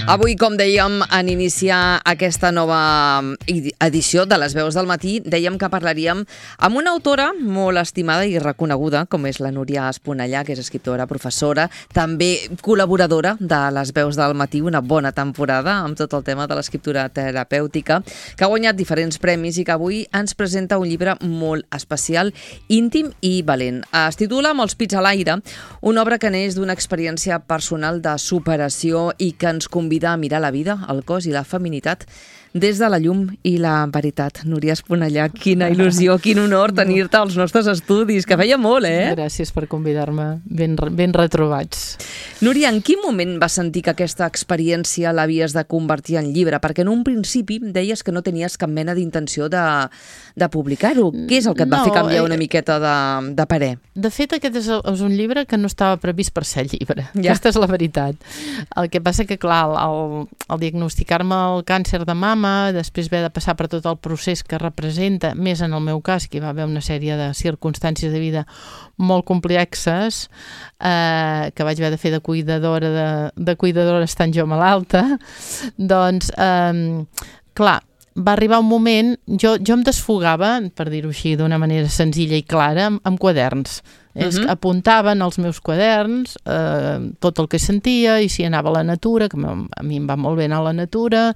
Avui, com dèiem, en iniciar aquesta nova edició de Les Veus del Matí, dèiem que parlaríem amb una autora molt estimada i reconeguda, com és la Núria Esponellà, que és escriptora, professora, també col·laboradora de Les Veus del Matí, una bona temporada amb tot el tema de l'escriptura terapèutica, que ha guanyat diferents premis i que avui ens presenta un llibre molt especial, íntim i valent. Es titula Amb els pits a l'aire, una obra que neix d'una experiència personal de superació i que ens convida a mirar la vida, el cos i la feminitat des de la llum i la veritat. Núria Esponellà, quina il·lusió, quin honor tenir-te als nostres estudis, que feia molt, eh? Gràcies per convidar-me, ben retrobats. Núria, en quin moment vas sentir que aquesta experiència l'havies de convertir en llibre? Perquè en un principi deies que no tenies cap mena d'intenció de publicar-ho. Què és el que et va fer canviar una miqueta de parer? De fet, aquest és un llibre que no estava previst per ser llibre. Ja. Aquesta és la veritat. El que passa que, clar, al diagnosticar-me el càncer de mama, després haver de passar per tot el procés que representa, més en el meu cas, que hi va haver una sèrie de circumstàncies de vida molt complexes, que vaig haver de fer de cuidadora estant jo malalta, doncs, clar, va arribar un moment, jo em desfogava, per dir-ho així d'una manera senzilla i clara, amb quaderns. Apuntava en els meus quaderns tot el que sentia, i si anava a la natura, que a mi em va molt bé anar a la natura,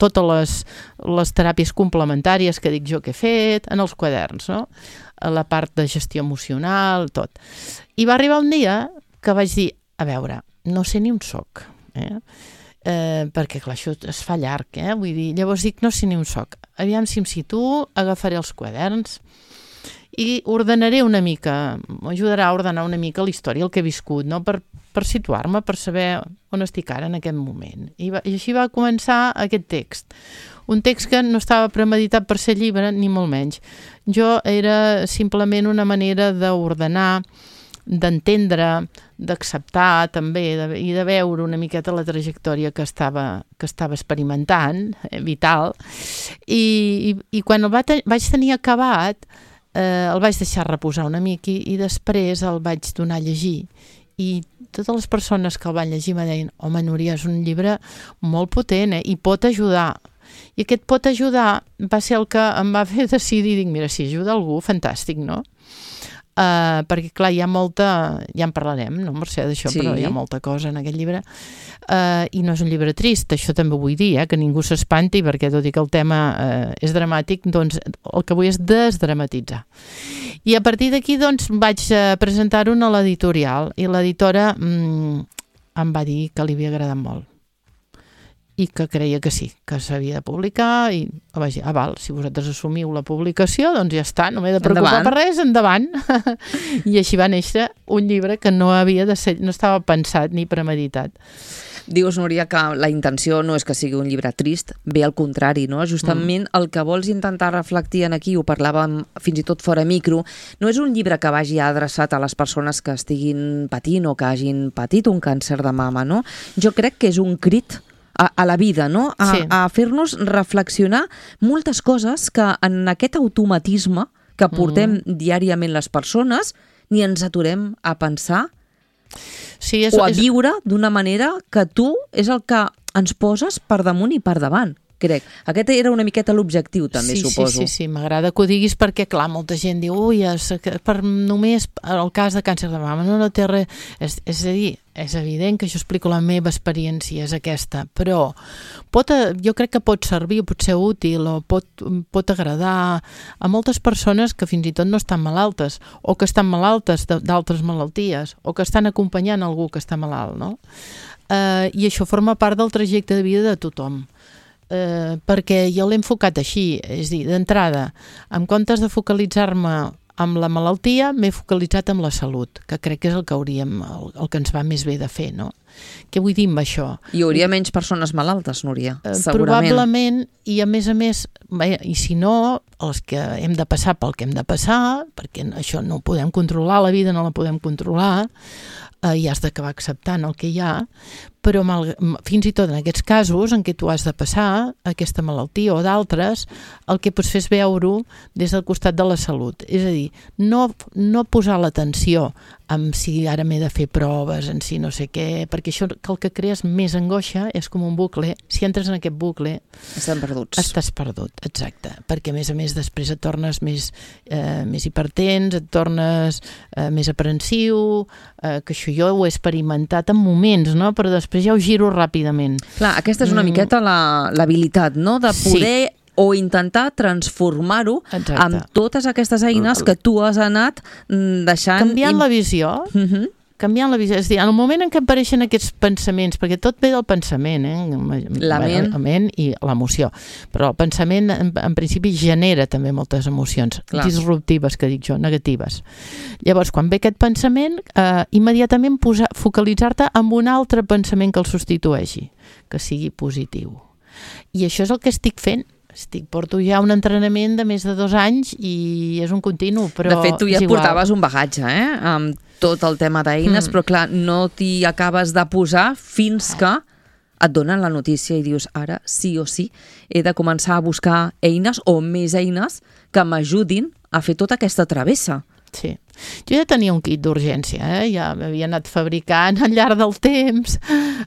totes les teràpies complementàries que dic jo que he fet, en els quaderns, no? La part de gestió emocional, tot. I va arribar un dia que vaig dir, a veure, no sé ni on soc, perquè clar, això es fa llarg, vull dir, llavors dic, no sé ni on soc, aviam si em situo, agafaré els quaderns i ordenaré una mica, m'ajudarà a ordenar una mica la història, el que he viscut, no? Per situar-me, per saber on estic ara en aquest moment. I així va començar aquest text. Un text que no estava premeditat per ser llibre, ni molt menys. Jo era simplement una manera d'ordenar, d'entendre, d'acceptar també i de veure una miqueta la trajectòria que estava experimentant, vital, i quan el vaig tenir acabat, el vaig deixar reposar una mica i després el vaig donar a llegir, i totes les persones que el van llegir me deien, home, Núria, és un llibre molt potent, i pot ajudar. I aquest pot ajudar va ser el que em va fer decidir, dic, mira, si ajuda algú, fantàstic, no? Perquè clar, hi ha molta, ja en parlarem, no, Mercè, d'això, sí. Però hi ha molta cosa en aquest llibre, i no és un llibre trist, això també ho vull dir, que ningú s'espanti, perquè tot i que el tema és dramàtic, doncs el que vull és desdramatitzar. I a partir d'aquí doncs vaig presentar-ho a l'editorial, i l'editora em va dir que li havia agradat molt i que creia que sí, que s'havia de publicar, i vaig dir, val, si vosaltres assumiu la publicació, doncs ja està, no m'he de preocupar per res, endavant. I així va néixer un llibre que no havia de ser, no estava pensat ni premeditat. Dius, Núria, que la intenció no és que sigui un llibre trist, bé al contrari, no? Justament el que vols intentar reflectir en aquí, ho parlàvem fins i tot fora micro, no és un llibre que vagi adreçat a les persones que estiguin patint o que hagin patit un càncer de mama, no? Jo crec que és un crit a la vida, no? A fer-nos reflexionar moltes coses que en aquest automatisme que portem diàriament les persones ni ens aturem a pensar o a viure d'una manera que tu és el que ens poses per damunt i per davant, crec. Aquest era una miqueta l'objectiu, també, suposo. Sí, m'agrada que ho diguis perquè, clar, molta gent diu, ui, per només el cas de càncer de mama no té res. És a dir, és evident que jo explico la meva experiència, és aquesta, però jo crec que pot servir, pot ser útil, o pot agradar a moltes persones que fins i tot no estan malaltes, o que estan malaltes d'altres malalties, o que estan acompanyant algú que està malalt, no? I això forma part del trajecte de vida de tothom. Perquè jo l'he enfocat així, és a dir, d'entrada, en comptes de focalitzar-me amb la malaltia, m'he focalitzat en la salut, que crec que és el que ens va més bé de fer, no? Què vull dir amb això? Hi hauria menys persones malaltes, Núria, segurament. Probablement, i a més, i si no, els que hem de passar pel que hem de passar, perquè això no ho podem controlar, la vida no la podem controlar, i has d'acabar acceptant el que hi ha, però fins i tot en aquests casos en què tu has de passar aquesta malaltia o d'altres, el que pots fer és veure-ho des del costat de la salut. És a dir, no posar l'atenció amb si ara m'he de fer proves, en si no sé què, perquè això el que crees més angoixa és com un bucle. Si entres en aquest bucle... Estan perduts. Estàs perdut, exacte. Perquè, a més, després et tornes més hipertens, et tornes més aprensiu, que això jo ho he experimentat en moments, no? Però després ja ho giro ràpidament. Clar, aquesta és una miqueta l'habilitat, no? De poder... Sí. O intentar transformar-ho amb totes aquestes eines que tu has anat deixant... Canviant la visió. Canviant la visió. És a dir, en el moment en què apareixen aquests pensaments, perquè tot ve del pensament, la ment i l'emoció. Però el pensament, en principi, genera també moltes emocions disruptives, que dic jo, negatives. Llavors, quan ve aquest pensament, immediatament focalitzar-te en un altre pensament que el substitueixi, que sigui positiu. I això és el que estic fent. Porto ja un entrenament de més de 2 anys i és un continu, però de fet, tu ja portaves un bagatge, amb tot el tema d'eines, però clar, no t'hi acabes de posar fins que et donen la notícia i dius, ara sí o sí he de començar a buscar eines o més eines que m'ajudin a fer tota aquesta travessa. Sí. Jo ja tenia un kit d'urgència, ja m'havia anat fabricant al llarg del temps,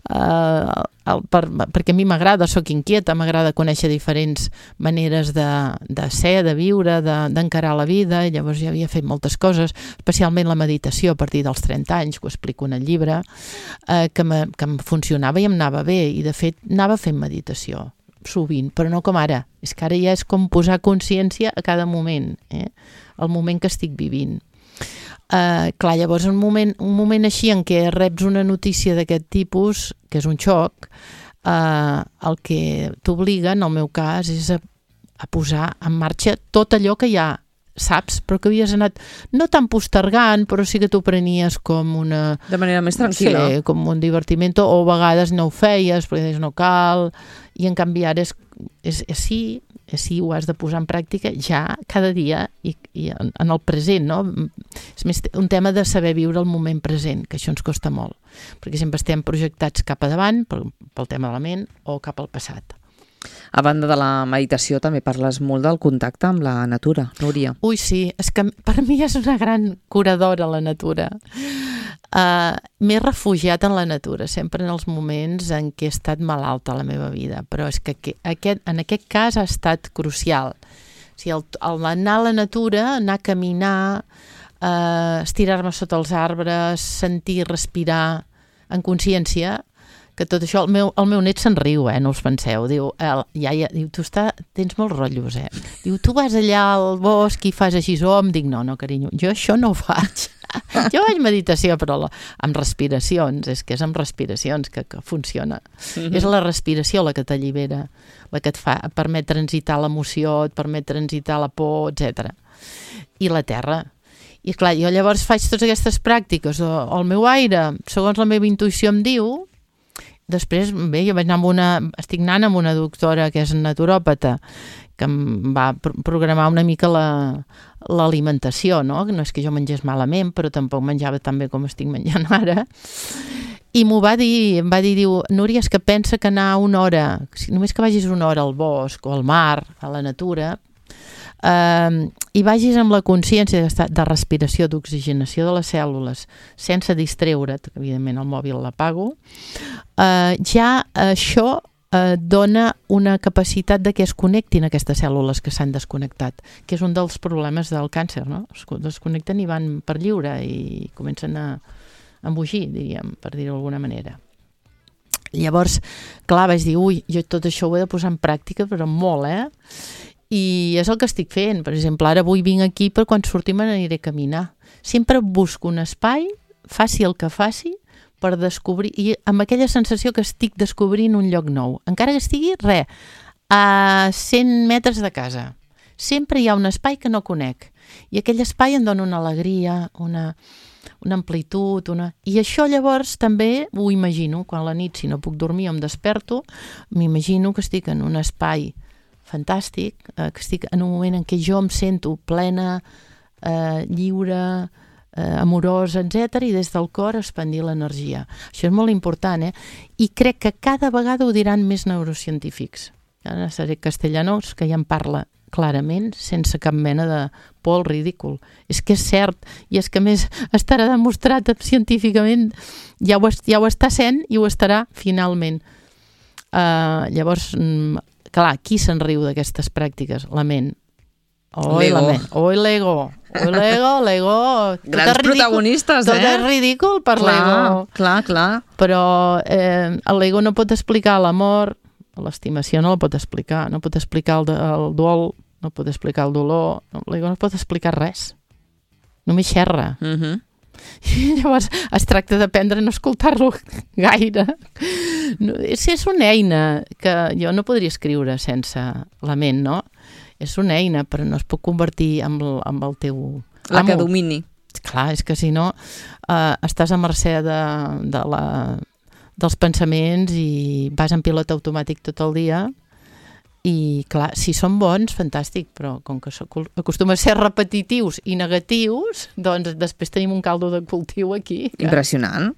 perquè a mi m'agrada, soc inquieta, m'agrada conèixer diferents maneres de ser, de viure, d'encarar la vida, i llavors ja havia fet moltes coses, especialment la meditació a partir dels 30 anys, que ho explico en el llibre, que em funcionava i em anava bé, i de fet anava fent meditació sovint, però no com ara. És que ara ja és com posar consciència a cada moment, el moment que estic vivint. Clar, llavors un moment així en què reps una notícia d'aquest tipus, que és un xoc, el que t'obliga, en el meu cas, és a posar en marxa tot allò que ja saps, però que havies anat no tan postergant, però sí que t'ho prenies com una... De manera més tranquil·la. Sí, com un divertiment, o a vegades no ho feies, perquè deies no cal, i en canvi ara sí, ho has de posar en pràctica ja cada dia i en el present, no? És més un tema de saber viure el moment present, que això ens costa molt, perquè sempre estem projectats cap a davant pel tema de la ment o cap al passat. A banda de la meditació també parles molt del contacte amb la natura, Núria. Ui, sí, és que per mi és una gran curadora la natura. M'he refugiat en la natura, sempre en els moments en què he estat malalta a la meva vida, però és que en aquest cas ha estat crucial. O sigui, el anar a la natura, anar a caminar, estirar-me sota els arbres, sentir, respirar en consciència, que tot això, el meu net se'n riu, no us penseu, diu, diu, tu tens molts rotllos, diu, tu vas allà al bosc i fas així, em dic, no, carinyo, jo això no ho faig, jo faig meditació, però amb respiracions, és que és amb respiracions que funciona, és la respiració la que t'allibera, la que et permet transitar l'emoció, et permet transitar la por, etc. I la terra. I clar, jo llavors faig totes aquestes pràctiques, o el meu aire, segons la meva intuïció em diu. Després, bé, jo estic anant amb una doctora que és naturòpata, que em va programar una mica l'alimentació, no? No és que jo mengés malament, però tampoc menjava tan bé com estic menjant ara. I em va dir, diu, Núria, és que pensa que anar una hora, només que vagis una hora al bosc o al mar, a la natura, i vagis amb la consciència de respiració, d'oxigenació de les cèl·lules, sense distreure't, evidentment el mòbil l'apago, ja això dona una capacitat de que es connectin aquestes cèl·lules que s'han desconnectat, que és un dels problemes del càncer, no? Es desconnecten i van per lliure i comencen a embogir, diríem, per dir-ho d'alguna manera. Llavors, clar, vaig dir, jo tot això ho he de posar en pràctica, però molt, I és el que estic fent. Per exemple, ara avui vinc aquí, però quan sortim aniré a caminar. Sempre busco un espai, faci el que faci, per descobrir, i amb aquella sensació que estic descobrint un lloc nou. Encara que estigui, a 100 metres de casa. Sempre hi ha un espai que no conec. I aquell espai em dona una alegria, una amplitud, I això llavors també ho imagino. Quan a la nit, si no puc dormir o em desperto, m'imagino que estic en un espai fantàstic, que estic en un moment en què jo em sento plena, lliure, amorosa, etc. I des del cor expandir l'energia. Això és molt important, I crec que cada vegada ho diran més neurocientífics. Ara seré Castellanos, que ja en parla clarament, sense cap mena de por al ridícul. És que és cert, i és que a més estarà demostrat científicament, ja ho està sent i ho estarà finalment. Llavors, clar, qui se'n riu d'aquestes pràctiques? La ment. L'ego. L'ego. Grans protagonistes, Tot és ridícul per l'ego. Clar. Però l'ego no pot explicar l'amor, l'estimació no la pot explicar, no pot explicar el dol, no pot explicar el dolor, l'ego no pot explicar res. Només xerra. I llavors es tracta d'aprendre a no escoltar-lo gaire. És una eina que jo no podria escriure sense la ment, no? És una eina, però no es pot convertir en el teu amo. La que domini. Clar, és que si no estàs a mercè dels pensaments i vas en pilot automàtic tot el dia. I clar, si són bons, fantàstic, però com que acostuma a ser repetitius i negatius, doncs després tenim un caldo de cultiu aquí. Impressionant.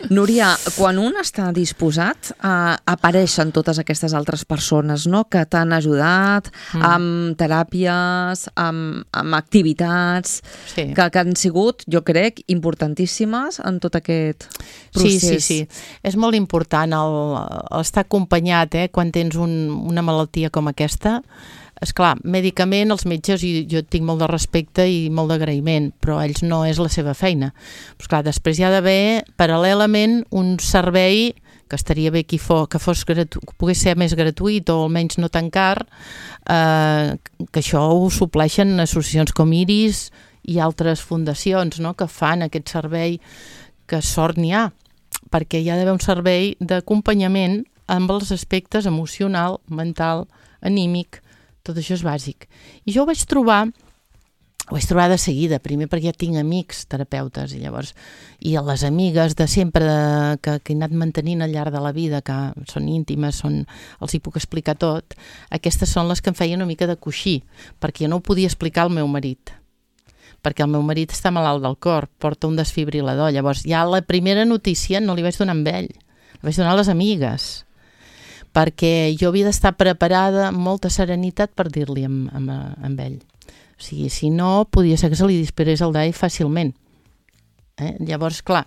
Núria, quan un està disposat, apareixen totes aquestes altres persones, no?, que t'han ajudat amb teràpies, amb activitats, que han sigut, jo crec, importantíssimes en tot aquest procés. Sí. És molt important estar acompanyat, quan tens una malaltia com aquesta. Esclar, mèdicament els metges, jo tinc molt de respecte i molt d'agraïment, però ells no és la seva feina. Però esclar, després hi ha d'haver paral·lelament un servei que estaria bé que pogués ser més gratuït o almenys no tan car, que això ho supleixen associacions com Iris i altres fundacions, no?, que fan aquest servei, que sort n'hi ha, perquè hi ha d'haver un servei d'acompanyament amb els aspectes emocional, mental, anímic. Tot això és bàsic. I jo ho vaig trobar de seguida, primer perquè ja tinc amics terapeutes i llavors, i les amigues de sempre que he anat mantenint al llarg de la vida, que són íntimes, els hi puc explicar tot, aquestes són les que em feien una mica de coixí, perquè jo no ho podia explicar al meu marit, perquè el meu marit està malalt del cor, porta un desfibrilador, llavors ja la primera notícia no li vaig donar amb ell, la vaig donar a les amigues, perquè jo havia d'estar preparada amb molta serenitat per dir-li amb ell. O sigui, si no, podia ser que se li disparés el DAI fàcilment. Llavors, clar,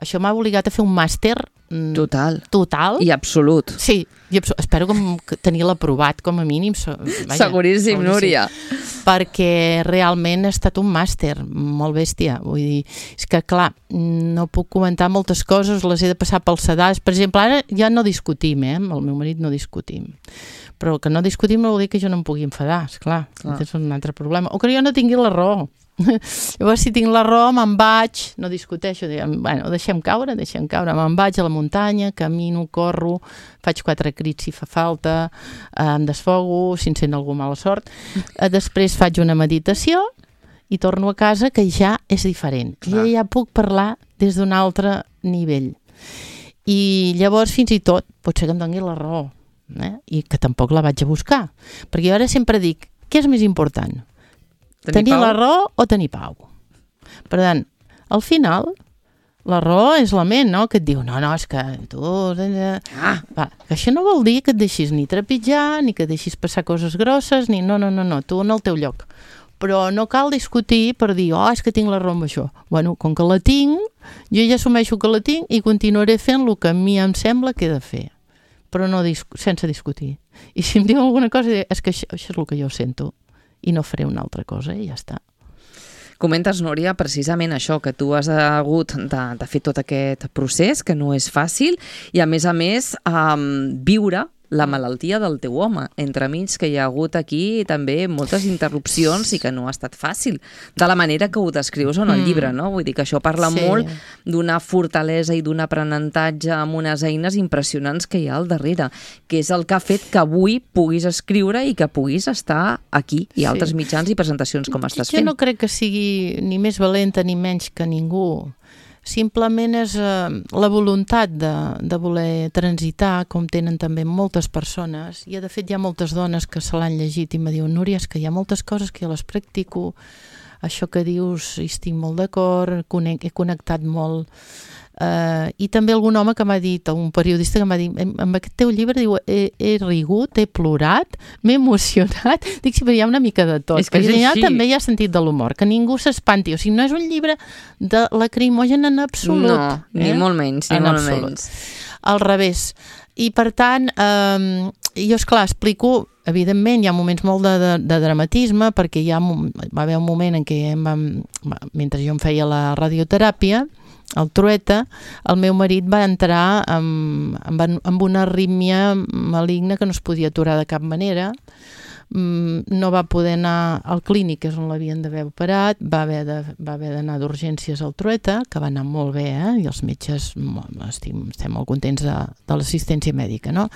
això m'ha obligat a fer un màster total i absolut. Sí, espero tenir-lo aprovat com a mínim. Seguríssim, Núria. Perquè realment ha estat un màster molt bèstia. Vull dir, és que clar, no puc comentar moltes coses, les he de passar pels sedars. Per exemple, ara ja no discutim, amb el meu marit no discutim. Però que no discutim no vol dir que jo no em pugui enfadar, esclar. És un altre problema. O que jo no tingui la raó. Llavors, si tinc la raó, me'n vaig, no discuteixo, bueno, deixem caure, me'n vaig a la muntanya, camino, corro, faig 4 crits si fa falta, em desfogo, si em sent algú mala sort. Després faig una meditació i torno a casa, que ja és diferent. Ja puc parlar des d'un altre nivell. I llavors, fins i tot, pot ser que em doni la raó, i que tampoc la vaig a buscar. Perquè jo ara sempre dic, què és més important? Tenir la raó o tenir pau? Per tant, al final, la raó és la ment, no?, que et diu, no, és que tu... que això no vol dir que et deixis ni trepitjar, ni que et deixis passar coses grosses, ni no, tu en el teu lloc. Però no cal discutir per dir, és que tinc la raó amb això. Bueno, com que la tinc, jo ja assumeixo que la tinc i continuaré fent el que a mi em sembla que he de fer. Però no sense discutir. I si em diu alguna cosa, és que això és el que jo sento. I no faré una altra cosa i ja està. Comentes, Núria, precisament això, que tu has hagut de fer tot aquest procés, que no és fàcil, i a més, viure la malaltia del teu home, entremig que hi ha hagut aquí també moltes interrupcions i que no ha estat fàcil, de la manera que ho descrius en el llibre, no? Vull dir que això parla molt d'una fortalesa i d'un aprenentatge amb unes eines impressionants que hi ha al darrere, que és el que ha fet que avui puguis escriure i que puguis estar aquí i altres mitjans i presentacions com estàs fent. Jo no crec que sigui ni més valenta ni menys que ningú. Simplement és la voluntat de voler transitar, com tenen també moltes persones, i de fet hi ha moltes dones que se l'han llegit i me diuen, Núria, és que hi ha moltes coses que jo les practico això que dius hi estic molt d'acord, he connectat molt. I també algun home que m'ha dit, un periodista que m'ha dit, amb aquest teu llibre, diu, he rigut, he plorat, m'he emocionat. Dic, sí, però hi ha una mica de tot. Perquè allà també hi ha sentit de l'humor, que ningú s'espanti. O sigui, no és un llibre de lacrimogen en absolut. No, ni molt menys, ni molt menys. Al revés. I per tant, jo, esclar, explico, evidentment, hi ha moments molt de dramatisme, perquè va haver un moment en què mentre jo em feia la radioteràpia, el Trueta, el meu marit va entrar amb una arrítmia maligna que no es podia aturar de cap manera. No va poder anar al clínic, que és on l'havien d'haver operat, va haver d'anar d'urgències al Trueta, que va anar molt bé, i els metges estem molt contents de l'assistència mèdica, no?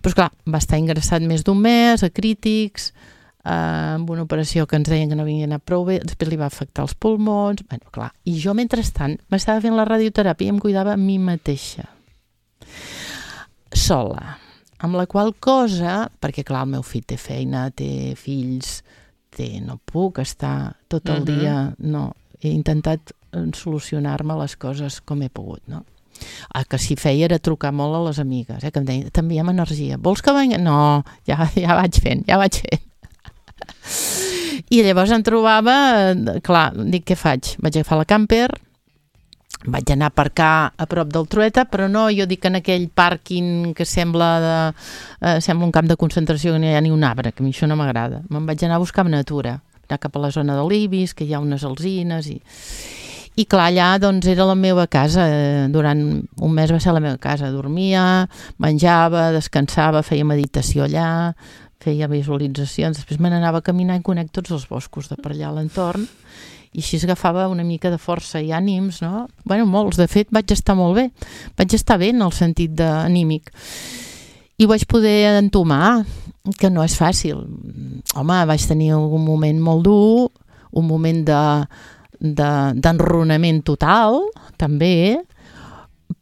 Però esclar, va estar ingressat més d'un mes, a crítics, amb una operació que ens deien que no havia anat prou bé, després li va afectar els pulmons, bueno, clar, i jo mentrestant m'estava fent la radioteràpia i em cuidava a mi mateixa sola, amb la qual cosa, perquè clar, el meu fill té feina, té fills, no puc estar tot el dia, no, he intentat solucionar-me les coses com he pogut, no? El que sí feia era trucar molt a les amigues, que em deien, t'enviem energia, vols que vengui? No, ja vaig fent. I llavors em trobava, clar, dic, què faig? Vaig agafar la camper, vaig anar a aparcar a prop del Trueta, però no, jo dic en aquell pàrquing que sembla un camp de concentració, que no hi ha ni un arbre, que a mi això no m'agrada. Me'n vaig anar a buscar natura, anar cap a la zona de l'Ibis, que hi ha unes alzines, i clar, allà doncs era la meva casa, durant un mes va ser la meva casa, dormia, menjava, descansava, feia meditació allà, feia visualitzacions, després me n'anava a caminar i conec tots els boscos de per allà a l'entorn, i així agafava una mica de força i ànims, no? Bueno, molts, de fet, vaig estar molt bé, vaig estar bé en el sentit anímic, i ho vaig poder entomar, que no és fàcil. Home, vaig tenir un moment molt dur, un moment d'enronament total, també,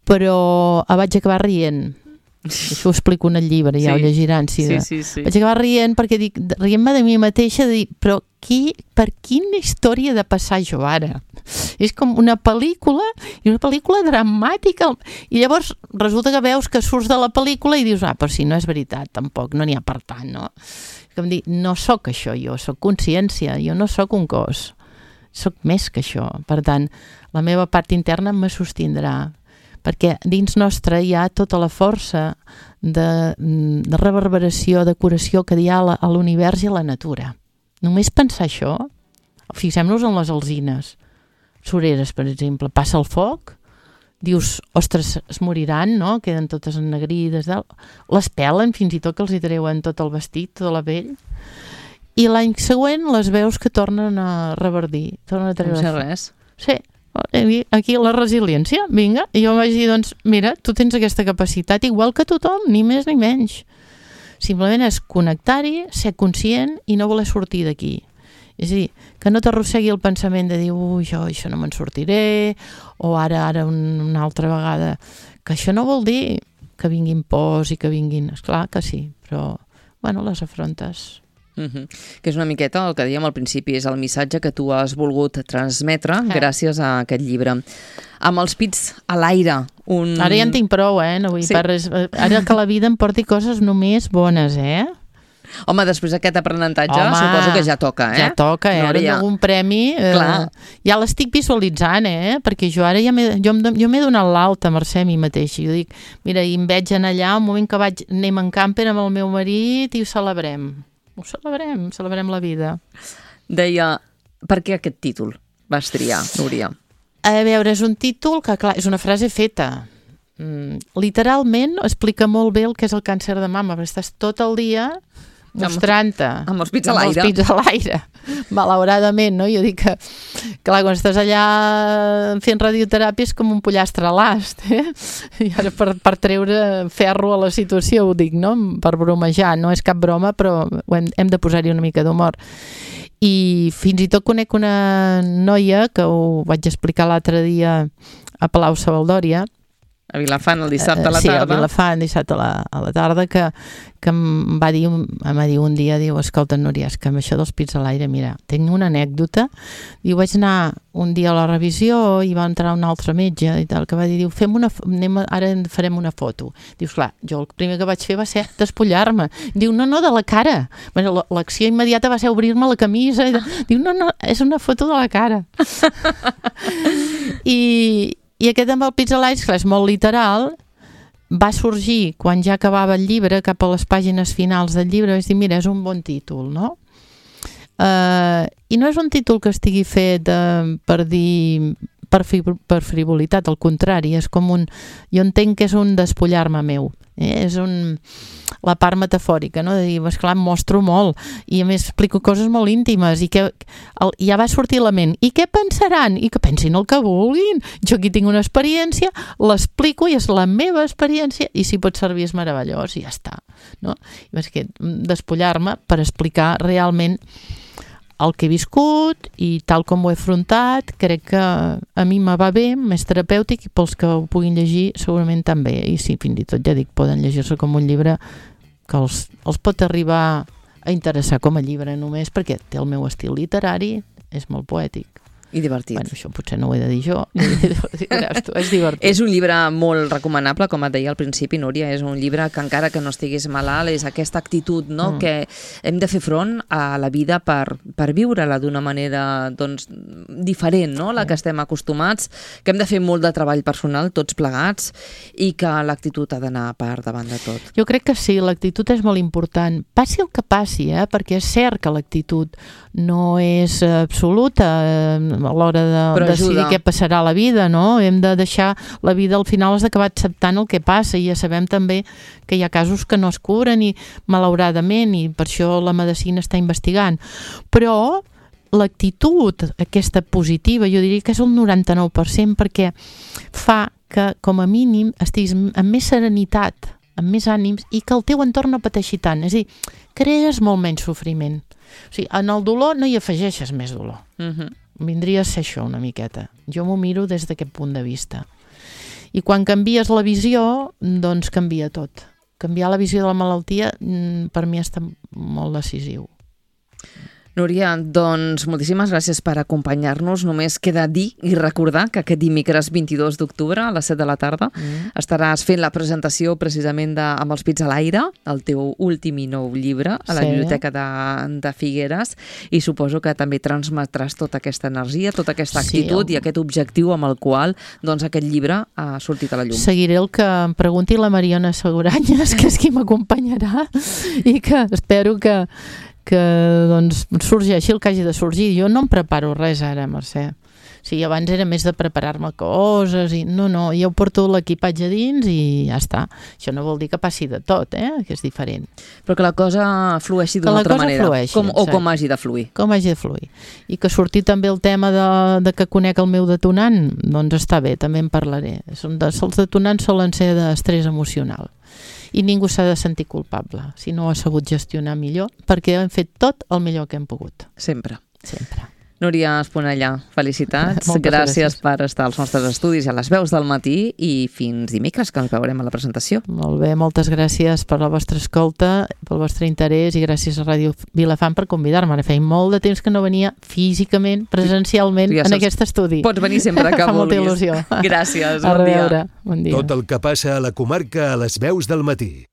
però vaig acabar rient. Això ho explico en el llibre, ja ho llegiran. Sí. Vaig acabar rient perquè dic, rient-me de mi mateixa, de dir, però per quina història he de passar jo ara? És com una pel·lícula, i una pel·lícula dramàtica, i llavors resulta que veus que surts de la pel·lícula i dius, però si no és veritat, tampoc, no n'hi ha per tant, no? Com dir, no sóc això jo, sóc consciència, jo no sóc un cos, sóc més que això. Per tant, la meva part interna me sostindrà, perquè dins nostre hi ha tota la força de reverberació, de curació que hi ha a l'univers i a la natura. Només pensar això, fixem-nos en les alzines, sureres, per exemple, passa el foc, dius, ostres, es moriran, no? Queden totes ennegrides, les pelen, fins i tot que els hi treuen tot el vestit, tota la pell, i l'any següent les veus que tornen a reverdir, tornen a treure. No sé res. Sí. Aquí la resiliència, vinga, i jo vaig dir, doncs, mira, tu tens aquesta capacitat igual que tothom, ni més ni menys. Simplement és connectar-hi, ser conscient i no voler sortir d'aquí. És a dir, que no t'arrossegui el pensament de dir, jo això no me'n sortiré, o ara una altra vegada, que això no vol dir que vinguin pors i que vinguin, esclar que sí, però, bueno, les afrontes. Que és una miqueta el que dèiem al principi, és el missatge que tu has volgut transmetre gràcies a aquest llibre. Amb els pits a l'aire. Ara ja en tinc prou, no vull dir res. Ara que la vida em porti coses només bones, Home, després d'aquest aprenentatge, suposo que ja toca, Ja toca, ara amb algun premi ja l'estic visualitzant, perquè jo ara jo m'he donat l'alta, Mercè, a mi mateixa. Jo dic, mira, i em veig en allà, un moment que anem en camper amb el meu marit i ho celebrem. Ho celebrem la vida. Deia, per què aquest títol vas triar, Núria? A veure, és un títol que, clar, és una frase feta. Literalment explica molt bé el que és el càncer de mama, perquè estàs tot el dia mostrant-te. Amb els pits a l'aire. Amb els pits a l'aire. Malauradament, no? Jo dic que, clar, quan estàs allà fent radioteràpia és com un pollastre a l'ast, I ara per treure ferro a la situació, ho dic, no? Per bromejar, no és cap broma, però hem de posar-hi una mica d'humor. I fins i tot conec una noia, que ho vaig explicar l'altre dia a Palau Savaldòria, A Vilafant el dissabte a la tarda. Sí, a Vilafant dissabte a la tarda, que em va dir un dia, diu, escolta, Núria, és que amb això dels pits a l'aire, mira, tinc una anècdota. Diu, vaig anar un dia a la revisió i va entrar un altre metge i tal, que va dir, diu, ara farem una foto. Dius, clar, jo el primer que vaig fer va ser despullar-me. Diu, no, de la cara. Bueno, l'acció immediata va ser obrir-me la camisa. Diu, no, és una foto de la cara. I aquest amb el pits a l'aire, és molt literal, va sorgir quan ja acabava el llibre, cap a les pàgines finals del llibre, vaig dir, mira, és un bon títol, no? I no és un títol que estigui fet per dir per frivolitat, al contrari, és com jo entenc que és un despullar-me meu, és la part metafòrica, no? De dir, esclar, em mostro molt i a més explico coses molt íntimes i que ja va sortir la ment, i què pensaran? I que pensin el que vulguin, jo aquí tinc una experiència, l'explico i és la meva experiència i si pot servir és meravellós i ja està, no? I és que despullar-me per explicar realment el que he viscut i tal com ho he afrontat, crec que a mi me va bé, més terapèutic, i pels que ho puguin llegir segurament també, i sí, fins i tot ja dic, poden llegir-se com un llibre que els pot arribar a interessar com a llibre només perquè té el meu estil literari, és molt poètic. I divertit. Bueno, això potser no ho he de dir jo, és divertit. És un llibre molt recomanable, com et deia al principi, Núria, és un llibre que encara que no estiguis malalt, és aquesta actitud, no? Que hem de fer front a la vida per viure-la d'una manera doncs, diferent, no? La que estem acostumats, que hem de fer molt de treball personal, tots plegats, i que l'actitud ha d'anar per davant de tot. Jo crec que sí, l'actitud és molt important. Passi el que passi, perquè és cert que l'actitud no és absoluta a l'hora de decidir què passarà a la vida, no? Hem de deixar la vida, al final has d'acabar acceptant el que passa, i ja sabem també que hi ha casos que no es curen i malauradament, i per això la medicina està investigant. Però l'actitud aquesta positiva, jo diria que és el 99%, perquè fa que com a mínim estiguis amb més serenitat, amb més ànims, i que el teu entorn no pateixi tant. És a dir, crees molt menys sofriment. O sigui, en el dolor no hi afegeixes més dolor. Vindria a ser això una miqueta. Jo m'ho miro des d'aquest punt de vista. I quan canvies la visió, doncs canvia tot. Canviar la visió de la malaltia per mi està molt decisiu. Núria, doncs moltíssimes gràcies per acompanyar-nos. Només queda dir i recordar que aquest dimecres 22 d'octubre a les 7 de la tarda estaràs fent la presentació precisament amb els pits a l'aire, el teu últim i nou llibre a la Biblioteca de Figueres, i suposo que també transmetràs tota aquesta energia, tota aquesta actitud i aquest objectiu amb el qual doncs, aquest llibre ha sortit a la llum. Seguiré el que em pregunti la Mariona Seguranyes, que és qui m'acompanyarà, i que espero que doncs, sorgeixi el que hagi de sorgir. Jo no em preparo res ara, Mercè. O sigui, abans era més de preparar-me coses i no, jo porto l'equipatge a dins i ja està. Això no vol dir que passi de tot, que és diferent. Però que la cosa flueixi d'una altra manera. Com hagi de fluir. Com hagi de fluir. I que surti també el tema de que conec el meu detonant, doncs està bé, també en parlaré. Els detonants solen ser d'estrès emocional. I ningú s'ha de sentir culpable si no ho ha sabut gestionar millor, perquè hem fet tot el millor que hem pogut. Sempre. Sempre. Núria Esponellà, felicitats. Gràcies per estar als nostres estudis a les veus del matí i fins dimecres, que ens veurem a la presentació. Molt bé, moltes gràcies per la vostra escolta, pel vostre interès, i gràcies a Ràdio Vilafant per convidar-me. Ara feia molt de temps que no venia físicament, presencialment, en aquest estudi. Pots venir sempre que vulguis. Fa molta il·lusió. Gràcies, bon dia. Bon dia. Tot el que passa a la comarca a les veus del matí.